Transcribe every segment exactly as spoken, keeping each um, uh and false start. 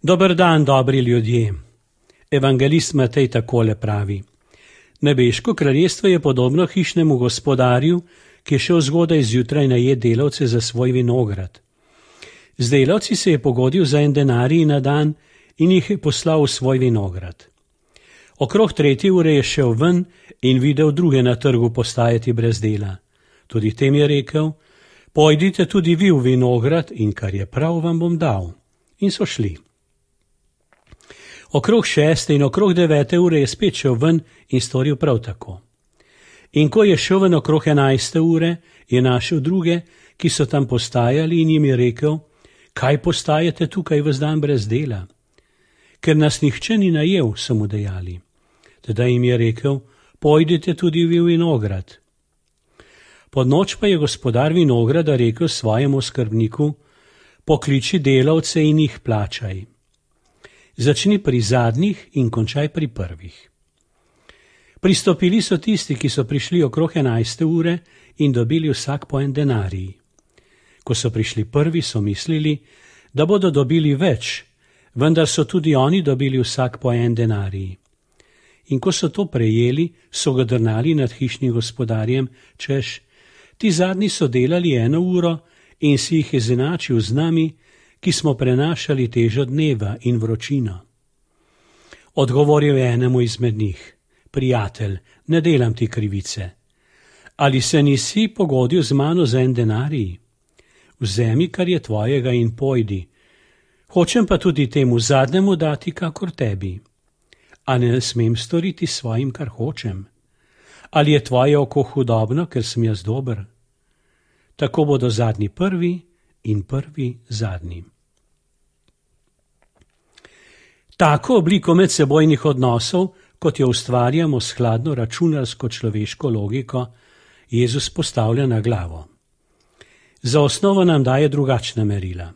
Dober dan, dobri ljudje. Evangelist Matej takole pravi. Nebeško kraljestvo je podobno hišnemu gospodarju, ki je šel zgodaj zjutraj najet delavce za svoj vinograd. Z delavci se je pogodil za en denarij na dan in jih je poslal v svoj vinograd. Okrog tretje ure je šel ven in videl druge na trgu postajati brez dela. Tudi tem je rekel, pojdite tudi vi v vinograd in kar je prav, vam bom dal. In so šli. Okrog šeste in okrog devete ure je spet šel ven in storil prav tako. In ko je šel ven okrog enajste ure, je našel druge, ki so tam postajali in jim je rekel, kaj postajate tukaj ves dan brez dela? Ker nas nihče ni najel, so mu dejali. Teda jim je rekel, pojdite tudi vi v vinograd. Pod noč pa je gospodar vinograda rekel svojemu skrbniku, pokliči delavce in jih plačaj. Začni pri zadnjih in končaj pri prvih. Pristopili so tisti, ki so prišli okrog enajste ure in dobili vsak po en denarij. Ko so prišli prvi, so mislili, da bodo dobili več, vendar so tudi oni dobili vsak po en denarij. In ko so to prejeli, so ga drnali nad hišnim gospodarjem, češ, ti zadnji so delali eno uro in si jih izenačil z nami, ki smo prenašali težo dneva in vročino. Odgovoril je enemu izmed njih, prijatelj, ne delam ti krivice. Ali se nisi pogodil z mano za en denarij? Vzemi, kar je tvojega in pojdi. Hočem pa tudi temu zadnjemu dati, kakor tebi. A ne smem storiti svojim, kar hočem? Ali je tvoje oko hudobno, ker sem jaz dober? Tako bodo zadnji prvi in prvi zadnji. Tako obliko medsebojnih odnosov, kot jo ustvarjamo s hladno računarsko človeško logiko, Jezus postavlja na glavo. Za osnovo nam daje drugačna merila.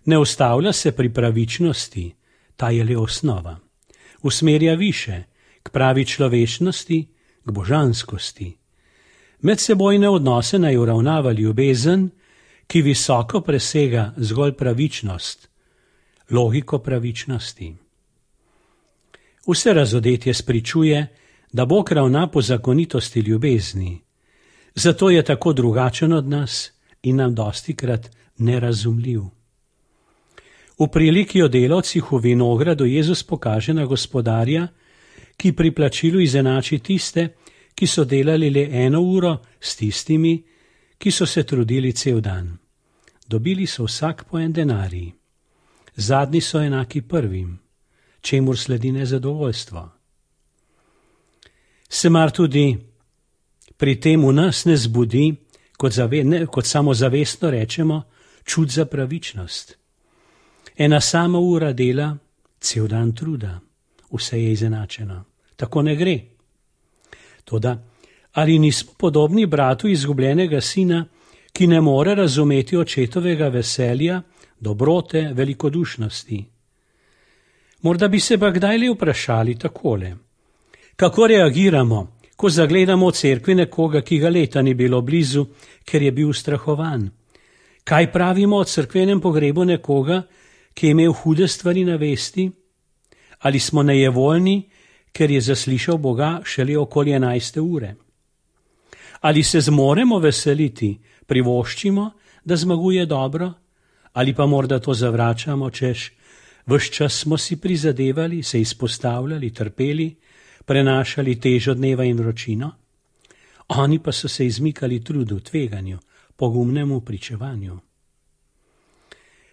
Ne ustavlja se pri pravičnosti, ta je le osnova. Usmerja više, k pravi človečnosti, k božanskosti. Medsebojne odnose naj uravnava ljubezen, ki visoko presega zgolj pravičnost, logiko pravičnosti. Vse razodetje spričuje, da Bog ravna po zakonitosti ljubezni, zato je tako drugačen od nas in nam dostikrat nerazumljiv. V priliki o delavcih v vinogradu Jezus pokaže na gospodarja, ki pri plačilu izenači tiste, ki so delali le eno uro s tistimi, ki so se trudili cel dan. Dobili so vsak po en denarij. Zadnji so enaki prvim, čemur sledi nezadovoljstvo. Se mar tudi pri tem v nas ne zbudi, kot, zave, ne, kot samozavestno rečemo, čut za pravičnost. Ena sama ura dela, cel dan truda, vse je izenačeno. Tako ne gre. Toda, ali nismo podobni bratu izgubljenega sina, ki ne more razumeti očetovega veselja, dobrote, velikodušnosti? Morda bi se pa kdaj le vprašali takole. Kako reagiramo, ko zagledamo v cerkvi nekoga, ki ga leta ni bilo blizu, ker je bil ustrahovan? Kaj pravimo o cerkvenem pogrebu nekoga, ki je imel hude stvari na vesti? Ali smo nejevoljni, ker je zaslišal Boga šele okoli enajste ure? Ali se zmoremo veseliti, privoščimo, da zmaguje dobro? Ali pa morda to zavračamo, češ, ves čas smo si prizadevali, se izpostavljali, trpeli, prenašali težo dneva in vročino? Oni pa so se izmikali trudu, tveganju, pogumnemu pričevanju.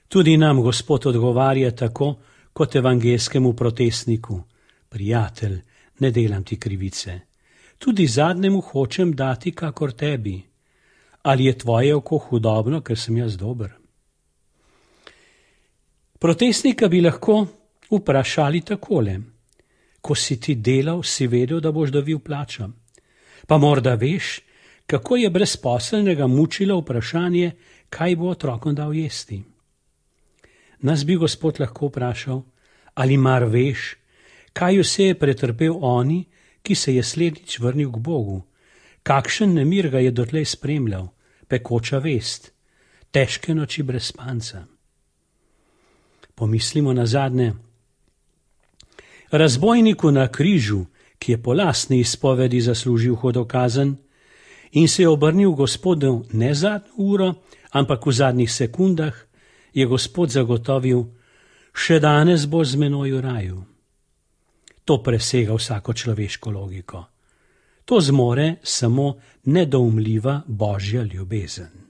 Tudi nam Gospod odgovarja tako, kot evangelskemu protestniku. Prijatelj, ne delam ti krivice. Tudi zadnjemu hočem dati, kakor tebi. Ali je tvoje oko hudobno, ker sem jaz dober? Protestnika bi lahko vprašali takole. Ko si ti delal, si vedel, da boš dobil plačo. Pa morda veš, kako je brezposelnega mučilo vprašanje, kaj bo otrokom dal jesti. Nas bi Gospod lahko vprašal, ali mar veš, kaj vse je pretrpel oni, ki se je slednjič vrnil k Bogu, kakšen nemir ga je dotlej spremljal, pekoča vest, težke noči brez spanca. Pomislimo na zadnje. Razbojniku na križu, ki je po lastni izpovedi zaslužil hudokazen in se je obrnil Gospodu ne zadnjo uro, ampak v zadnjih sekundah, je Gospod zagotovil: še danes bo z menoj v raju. To presega vsako človeško logiko. To zmore samo nedoumljiva božja ljubezen.